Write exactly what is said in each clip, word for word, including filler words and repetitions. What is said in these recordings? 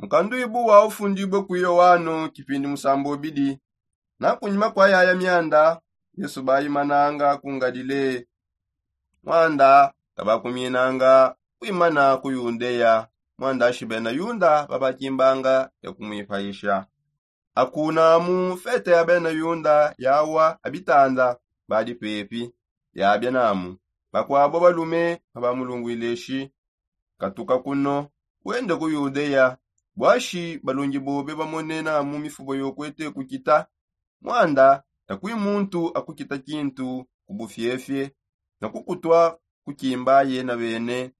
Mukanduibu wa ufundibue ku yoano kipindi musambobidi. Na kunyima kua yaya mianda, yesu baimananga ku ngalile. Mwanda tabakuminanga kuimana ku yudea. Mwanda shi bena yuda babakimbanga ya kumwipayisha. Akunamu fete ya bena yuda yawa abitanda badi pepi. Yabia namu bakuabo balume babamulungwile shi, katuka kuno, wende ku yudea. Bwashi balongi bobe bamone namu mifubo yokwete kukita. Mwanda takui muntu akukita kintu ku bufiefie na kukutwa kukimba yena bene.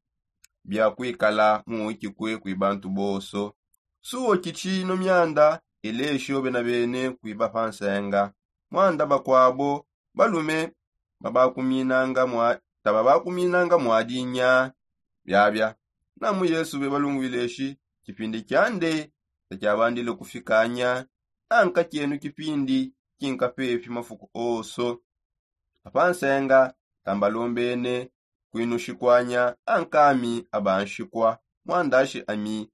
Bia kuikala mu wikikue kui bantu bonso. Suo kitshino mianda elesho bena bene kuiba pa nsenga. Mwanda bakuabo balume babakuminanga mwa taba bakuminanga mwadinya. Biabia namu yesu bebalungwile shi, kipindi kiande takiabandile kufikanya. Anka kienu kipindi kinkapepi mafuku onso. Apa nsenga tambalombene kuinushikwanya. Ankami abanshikwa mwandashi ami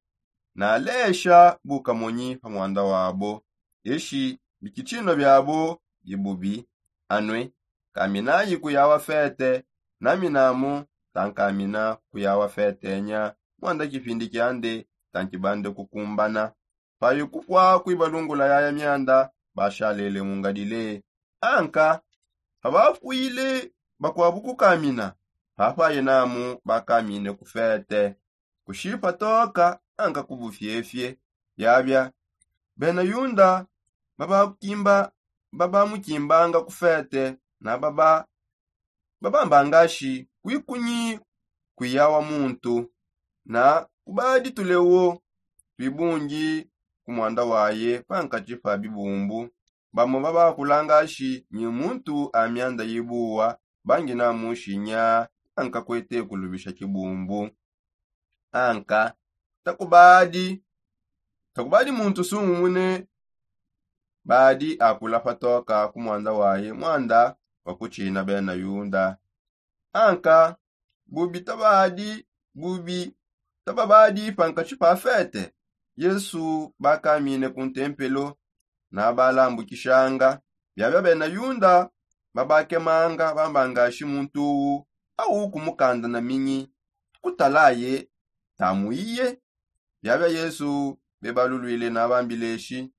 nalesha bukamonyi pa mwanda wabo. Eshi bikitshino biabo bibubi. Anue kaminayi kuyawa fete. Naminamu tankamina kuyawa fetenya. Mwanda kipindi kiande tankibande kukumbana. Payi kupua kuibalungula yaya mianda bashalele mu ngalile. Anka pabakuile bakuabu kukamina papaye namu bakamine ku fete. Kushipa toka anka ku bufiefie. Biabia bena yuda babakukimba babamukimbanga ku fete na baba babamba ngashi kuikunyi kuiya wa muntu. Na kubadi tulewo tuibungi ku mwanda waye pankatshi pa bibumbu. Bamo babakula ngashi nyi muntu a mianda yibuwa bangina mushinya anka kwete kulubisha kibumbu. Anka takubadi takubadi muntu sungumune. Badi akula patoka ku mwanda waye mwanda wa kutshina bena yuda. Anka bubi tabadi bubi tababadi pankatshi pa fete. Yesu bakamine ku ntempelo na balambukishanga. Biabia bena yuda babakemanga bamba ngashi muntu uwu au kumukanda na minyi kutalaye tamuiye. Biabia yesu bebalulwile na bambileshi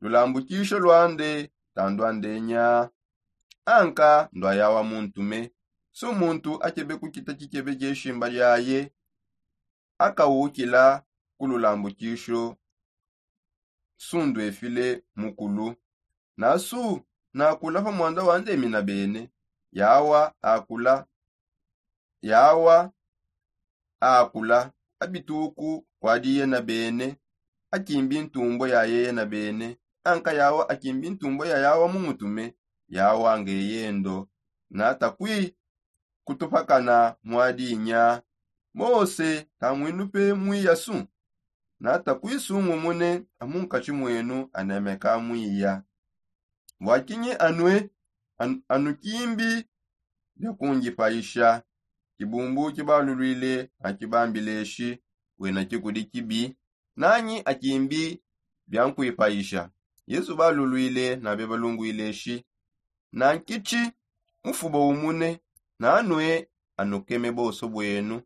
lulambukisho lwande tandwandenya. Anka ndwaya wa muntume su muntu akebe kukita kikebe kieshimba liaye akawukila ku lulambukisho. Sundwefile mukulu nasu nakula pa mwanda wandemina bene. Yawa akula yawa akula abituku kwadi yena bene akimbi ntumbo ya yeye na bene. Anka yawa akimbi ntumbo ya yawa mu mutume yawa ngeyendo. Na takwi kutupakana mwadinya mose tamwinupe mwiya su. Na takwi sungumune amunkatshi mwenu anemeka mwiya. Bua kinyi anue anu kimbi bia kungipaisha? Kibumbu kibalulwile na kibambileshi wena kikudi kibi nanyi akimbi bia nkuipaisha? Yesu balulwile na bebalungwileshi na nkitshi mufubo umune nanue anukeme bonso bwenu.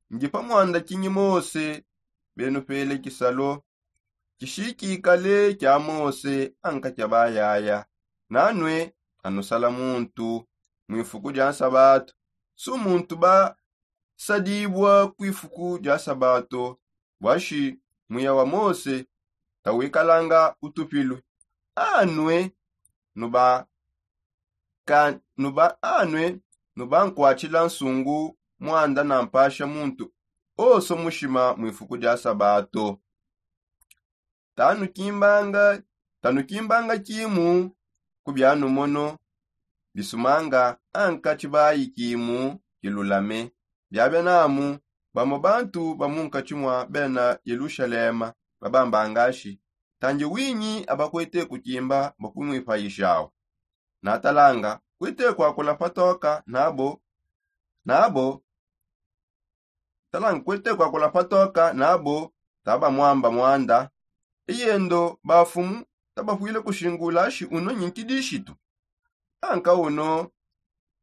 Ndi pa mwanda kinyi mose benupele kisalo kishikikale kia mose anka kia bayaya. Nanue anusala muntu mwifuku dia nsabatu su muntu basadibua kwifuku dia nsabatu. Bwashi muya wa mose tawikalanga utupilue anue nuba ka nuba anue nuba nkwatshila nsungu mwanda na mpasha muntu oso mushima mwifuku dia sabato. Tanukimbanga tanukimbanga kimu ku bianumono bisumanga anka tshibayi kimu kilulame. Biabia namu bamo bantu ba munkatshi mua bena yelushalema babamba ngashi tandi winyi abakuete kukimba bua kunwipayishawu? Natalanga kuete kuakula patoka nabo nabo talanga kuete kuakula patoka nabo Taba mwamba mwanda, eyendo bafumu tabapwile kushingula shi uno nyi nkidishitu. Anka uno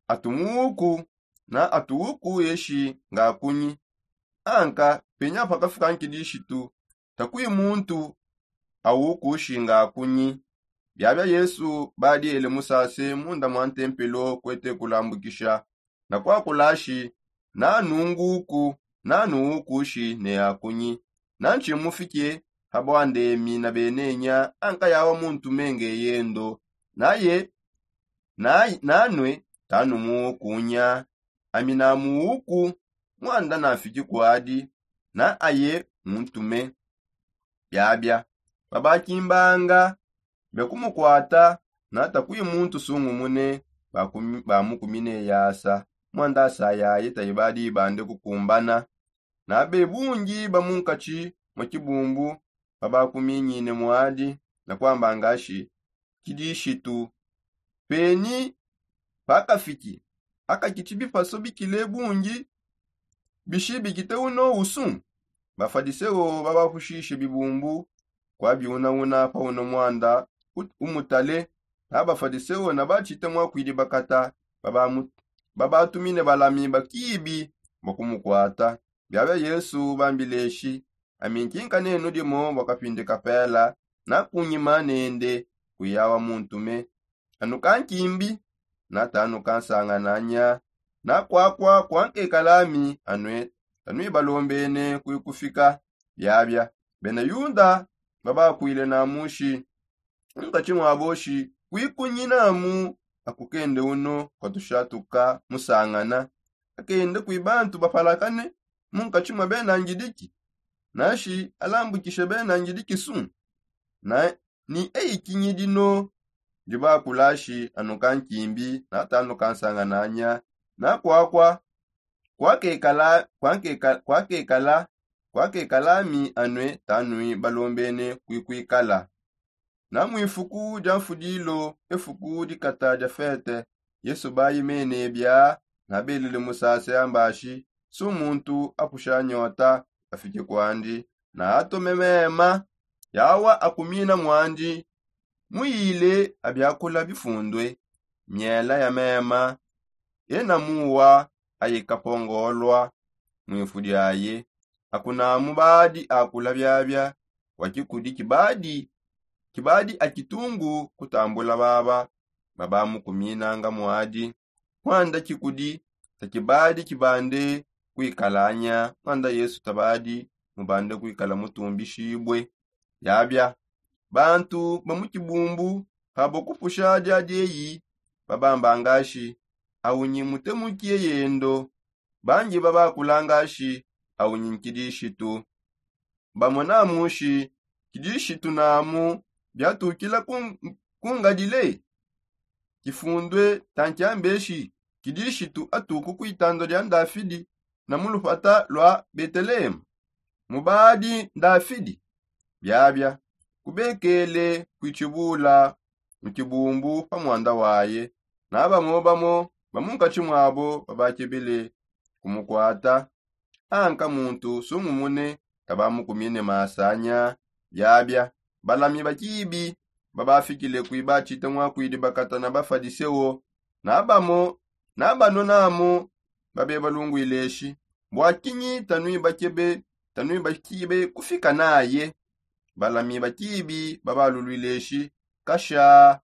atumuuku na atuuku eshi ngakunyi. Anka penya pakafuka nkidishitu takwi muntu awuku shi ngakunyi. Byabya yesu badiele musase munda mwa ntempelo kwete kulambukisha na kwakulashi nanunguku nanuukushi ne akunyi. Nanshi mufike habwandemi na benenya anka yawa muntu menge yendo naye nanwe tanumuukunya. Ami namuuku mwanda nafiki kwadi na aye muntume. Byabya babakimbanga byakumukwata na takwi muntu sungumune. Bamukumine yasa mwanda asa yaye tayi badi bande kukumbana. Na bebungi bamunkatshi mwa kibumbu babakuminyine mwadi na kwamba ngashi kidishitu. Peni pakafiki akakitshi bipaso bikile bungi bishi bikite uno usu? Bafadiseo babapushishe bibumbu kwabiunauna pa uno mwanda umutale. Na bafadiseo na batshite mwakwidi bakata babatumine balami bakibi bakumukwata. Byabya yesu bambileshi ami nkinka nenu dimo bwakapinde kapela na kunyima nende kuyawa muntume. Anu kankimbi na tanu kansangananya na kwakwa kwankekalami anwe tanwibalombene kwikufika. Byabya bena yuda babakwile namushi nkatshi mwaboshi kwikunyinamu akukende uno kwatushatuka musangana akende kwi bantu bapalakane munkatshi mwa bena ngidiki. Nashi alambukishe bena ngidiki su na ni eikinyidi no ndibakulashi anu kankimbi na tanu kansangananya na kwakwa kwakekala kwakekala kwakekala kwakekala mi anwe tanwi balombene kwikwikala. Na mwifuku dia mfudilo efuku dikata dia fete yesu bayimene bya na belele musase ambashi su muntu apusha nyota afike kwandi na atome mema yawa akumina mwandi muyile abyakula bifundwe myela ya mema ena muwa ayikapongolwa mwifu dyaye. Akunamu badi akula byabya wa kikudi kibadi kibadi akitungu kutambula baba babamukuminanga mwadi. Mwanda kikudi takibadi kibande kwikalanya mwanda yesu tabadi mubande kwikala mutumbishibwe. Yabya bantu ba mu kibumbu habo kupusha dya dyeyi babamba ngashi awu nyi mutemuki eyendo. Bangi babakula ngashi awu nyi nkidishitu. Bamona mushi kidishitu namu byatukila kungadile kifundwe tankyambeshi kidishitu atuku kwitando dya ndafidi na mu lupata lwa betelehemu. Mubadi ndafidi byabya kubekele kwitshibula mu kibumbu pa mwanda waye. Na bamo bamo ba munkatshi mwabo babakebele kumukwata anka muntu sungumune kabamukumine masanya. Byabya balami bakibi babafikile kwibachita mwakwidi bakata na bafadiseo na bamo na bano namo babe balungwileshi bwakinyi tanwi bakebe tanwi bakibe kufika naye. Balami bakibi babalulwileshi kasha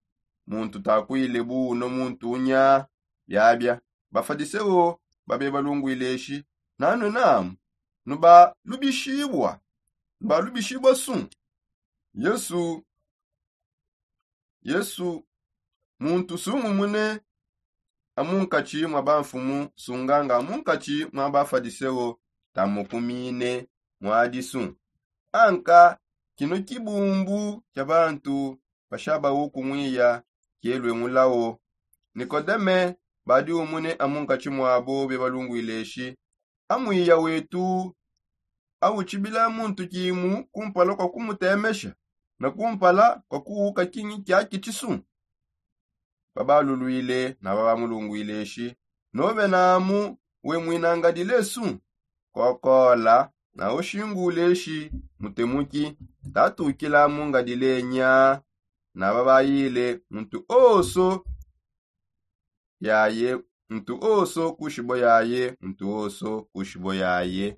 muntu takwile buno muntu unya. Byabya bafadiseo babe balungwileshi nano namu nubalubishibwa nubalubishibwa su? Yesu yesu muntu sungumune amunkatshi mwa bamfumu sunganga amunkatshi mwa bafadiseo tamukumine mwadisu. Anka kino kibumbu kya bantu bashaba ukumwiya kyelwe mulao. Nikodeme badi umune amunkatshi mwabo bebalungwileshi amwiya wetu awutshibila muntu kimu kumpala kwa kumutemesha na kumpala kwa kuwuka kinyi kyaki tshisu? Babalulwile na babamulungwile shi nobe namu we mwinangadile su? Kokola Na oxingule xi mutemuki tatukila mungadile nya. Na babayile muntu oso yaye, muntu oso kushibo yaye, muntu oso kushibo yaye.